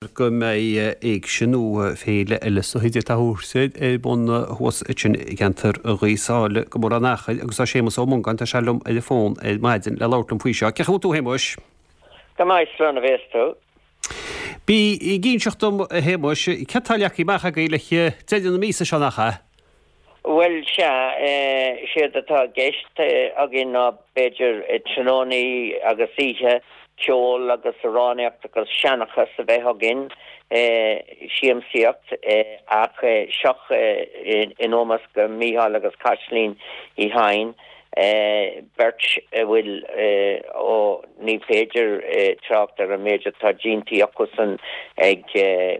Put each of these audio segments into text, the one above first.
Go mbeidh éigse nó féile eile sa chuid atá thuas ar bun thuas ansin i gceantar Ghaoth Sáile go mór an achair agus tá Séamus Ó Mongáin, tá sé liom ar an bhfón ar maidin le labhairt liom faoi seo. Cén chaoi a bhfuil tú a Shéamuis? Go maith, slán a bhéas tú. Bí ag inseacht dom a Shéamuis, céard tá leagtha amach agaibh le deireadh na míosa seo nach ea? Bhuel, sea, séard atá i gceist againn ná b'fhéidir tráthnónaí agus oíche ceoil agus amhránaíocht agus seanchas a bheith againn, siamsaíocht, ach seo in ómós go Mícheál agus Caitlín Uí Chadhain. Beirt a bhfuil, ó, ní féidir trácht ar an méid atá déanta acusan ag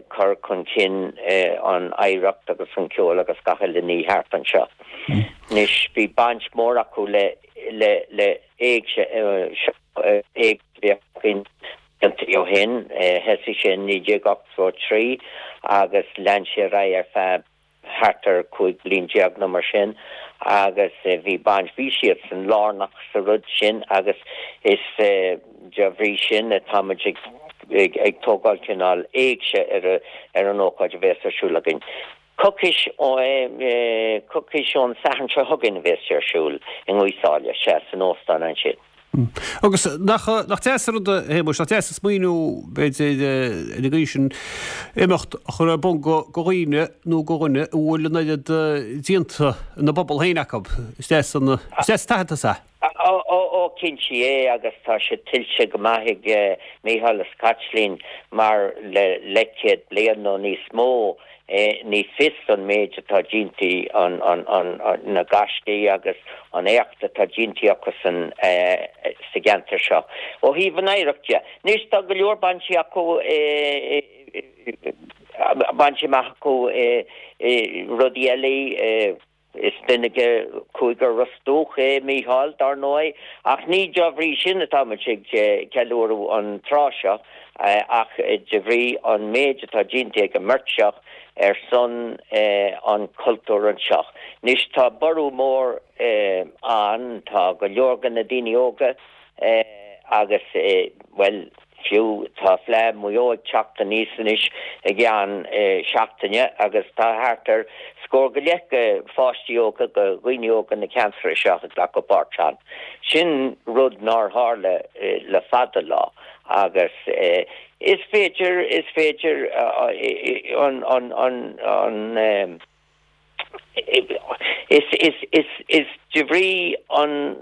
cur chun cinn an oidhreacht agus an ceol agus gach uile ní thart anseo. Anois, bhí baint mhór acu le, le, le éigse, seo éigse a bhíodh againn blianta ó shin, thosaigh sé in 1983 agus lean sé ar aghaidh ar feadh thart ar 15 bliain nó mar sin agus bhí baint, bhí siadsan lárnach sa rud sin agus is de bhrí sin atáimid ag ag tógáil cineál éigse ar ar an ócáid a bhéas ar siúl againn. Coicís ó coicís ón Satharn seo chugainn a bhéas sé ar siúl i nGaoth Sáile, sea, san óstán ansin. Agus nach deas an rud, a Shéamuis, nach deas an smaoineamh, b'fhéidir, ar an gcaoi sin, imeacht a chur ar bun do dhaoine nó do dhuine a bhfuil an oiread déanta ina bpobal féin acu. Is deas an, is deas an t-aitheantas é. Ó, ó, cinnte é agus tá sé tuillte go maith ag Mícheál is Caitlín mar le leathchéad bliain nó níos mó Ní fios an méid atá déanta, na gaiscí agus an éacht atá déanta acusan sa gceantar seo. Ó thaobh an oidhreacht de, anois tá go leor bainte acu, bainte amach acu i rudaí eile, Is duine de Chúigear Ros Dumhach é Mícheál, dar ndóigh, ach ní de bhrí sin atáimid ag ceiliúradh an tráth seo, ach de bhrí an méid atá déanta ag an mbeirt seo ar son an chultúir anseo. Anois tá borradh mór ann, tá go leor de na daoine óga agus, bhuel, Fiú, tá Fleadh Mhaigh Eo ag teacht aníos anois i gceann seachtaine agus tá thart ar scór go leith de pháistí óga, de dhaoine óga na ceantair seo ag glacadh páirt ann. Sin rud nár tharla le fada lá agus is féidir, is féidir an, an, an, an, Is de bhrí an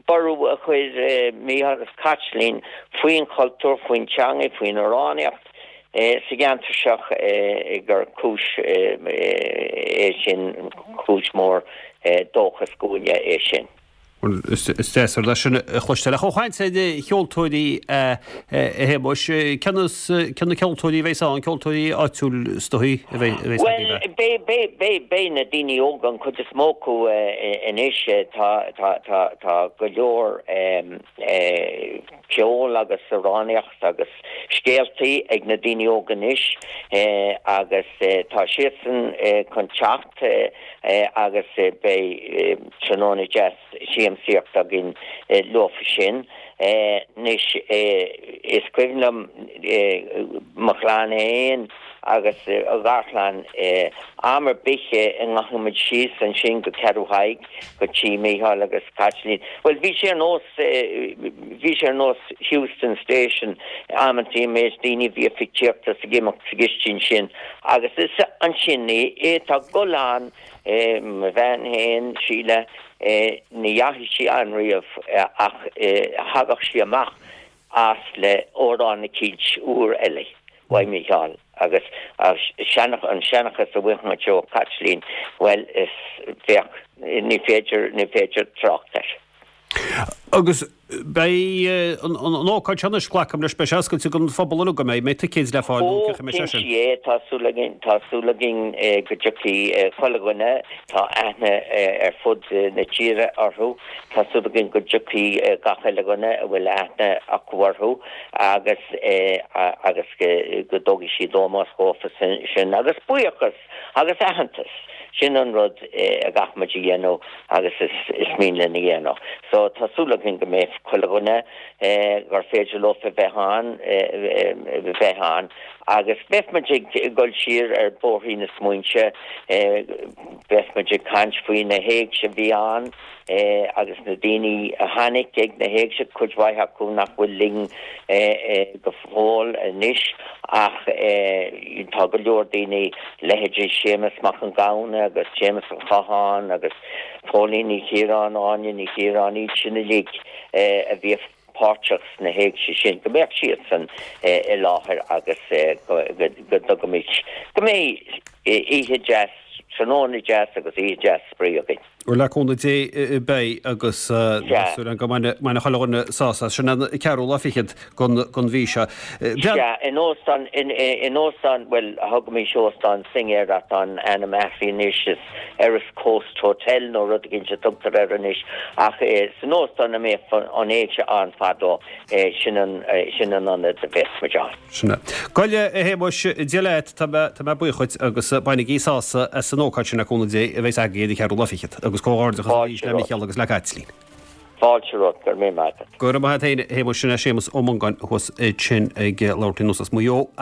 borradh a chuir Mícheál agus Caitlín faoin chultúr, faoin teanga, faoin amhránaíocht sa gceantar seo gur cúis é sin, cúis mhór dóchais dhúinne é sin. Bhuel, is deas an rud é sin a chloisteáil. Ach ó chaint ar cheoltóirí, a Shéamuis, cé na ceoltóirí a bheas ann? Ceoltóirí áitiúil is dóigh a bheas agaibh? Bhuel, beidh, beidh na daoine óga, an chuid is mó acu anois, tá, tá, tá, tá go leor ceol agus amhránaíocht agus scéaltaí ag na daoine óga anois agus tá siadsan chun teacht. agus beidh tráthnóna deas siamsaíochta againn leofa sin. Anois, is cuimhin liom mo chlann féin agus a gharchlann, am ar bith a ndeachaigh muid síos ansin go Ceathrú Thaidhg, go tí Mhícheáil agus Caitlín, bhuel, bhí sé ar nós, bhí sé ar nós Heuston Station amantaí, an méid daoine a bhíodh ag tíocht is ag imeacht sa gcistin sin. Agus is ansin é tá dul ann, mo bhean féin, Síle, ní dheachaigh sí ann riamh ach thagadh sí amach as le amhrán eicínt úr eile uaidh Mícheál agus an seanchas a bhfaigheadh muid ó Chaitlín, bhuel, is bheadh, ní féidir, ní féidir trácht air. Agus beidh an ócáid seo anois, glacaim leis, beidh sé oscailte don phobal uilig, an mbeidh? Mbeidh ticéid le fáil nó cén chaoi a mbeidh sé sin? Ó, cinnte é, tá súil againn, tá súil againn go dtiocfaidh chuile dhuine, tá aithne ar fud na tíre orthu, tá súil againn go dtiocfaidh gach uile dhuine a bhfuil aithne acu orthu agus agus go dtógfaidh siad ómós dhófa sin agus buíochas Agus aitheantas, sin an rud a gcaithfimid a dhéanamh agus is mian linn a dhéanamh. So tá súil againn go mbeidh. chuile dhuine gur féidir leofa bheith ann, bheith ann. Agus beidh muid ag dul siar ar bhóithrín na smaointe, beidh muid ag caint faoi na héigse a bhí ann agus na daoine a tháinig ag na héigse, cuid mhaith acu nach bhfuil linn go fóill anois ach tá go leor daoine, leithéidí Séamus Mac an Ghamhna agus Séamus an Chatháin agus Póilín Ní Chiaráin, Áine Ní Chiaráin, iad sin uilig a bhí páirteach sna héigse sin, go mbeadh siadsan i láthair agus go dtugaimis, go mbeidh oíche deas, tráthnóna deas agus oíche deas spraoi againn. Bhuel, le cúnamh Dé beidh agus tá súil agam go mbainfidh chuile dhuine sásamh as. Sin an ceathrú lá fichead den mhí seo. Sea, in óstán, in óstán, bhuel, thugaimis Óstán Synge air ach tá an ainm athraithe anois, is Erris Coast Hotel nó rud éigin a tugtar air anois, ach san óstán a mbíodh an éigse ann fadó, sin an, sin an ionad a bheas muid ann. Sin é. Gabh i leith, a Shéamuis, Dia leat, tá mé, tá mé buíoch dhuit agus bainigí sásamh as an ócáid sin le cúnamh Dé a bheas agaibh ar an cheathrú lá fichead agus comhghairdeachas arís le Micheál agus le Caitlín. Fáilte romhat, go raibh míle maith agat. Go raibh maith agat féin, a Shéamuis. Sin é Séamus Ó Mongáin thuas ansin ag labhairt linn as Maigh Eo.